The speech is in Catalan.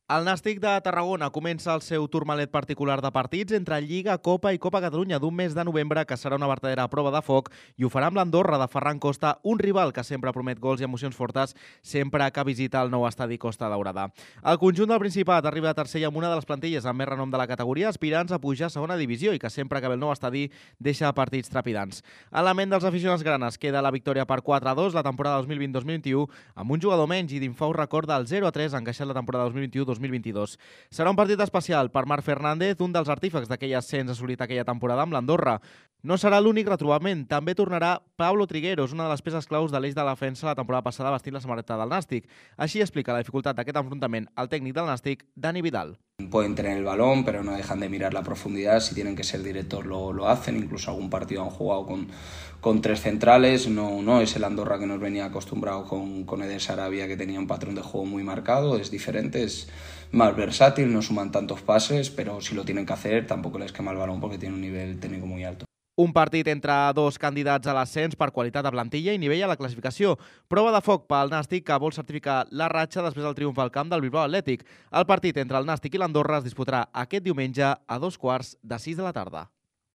El Nàstic de Tarragona comença el seu turmalet particular de partits entre Lliga, Copa i Copa Catalunya d'un mes de novembre que serà una vertadera prova de foc i ho farà amb l'Andorra de Ferran Costa, un rival que sempre promet gols i emocions fortes sempre que visita el nou estadi Costa Daurada. El conjunt del Principat arriba a tercer i amb una de les plantilles amb més renom de la categoria, aspirants a pujar a segona divisió i que sempre que ve el nou estadi deixa partits trepidants. A la ment dels aficionats granes queda la victòria per 4-2 la temporada 2020-2021 amb un jugador menys i d'infau record del 0-3 encaixat la temporada 2021-2022. Serà un partit especial per Marc Fernández, un dels artífecs d'aquell ascens assolit aquella temporada amb l'Andorra. No serà l'únic retrobament, també tornarà Pablo Trigueros, una de les peces claus de l'eix de la defensa la temporada passada vestint la samarreta del Nàstic. Així explica la dificultat d'aquest enfrontament el tècnic del Nàstic, Dani Vidal. Pueden tener el balón, pero no dejan de mirar la profundidad. Si tienen que ser directos, lo hacen. Incluso algún partido han jugado con tres centrales. No es el Andorra que nos venía acostumbrado con Eder Sarabia, que tenía un patrón de juego muy marcado. Es diferente, es más versátil, no suman tantos pases, pero si lo tienen que hacer, tampoco les quema el balón porque tiene un nivel técnico muy alto. Un partit entre dos candidats a l'ascens per qualitat de plantilla i nivell a la classificació. Prova de foc pel Nàstic que vol certificar la ratxa després del triomf al camp del Bilbao Atlètic. El partit entre el Nàstic i l'Andorra es disputarà aquest diumenge a 15:15 de la tarda.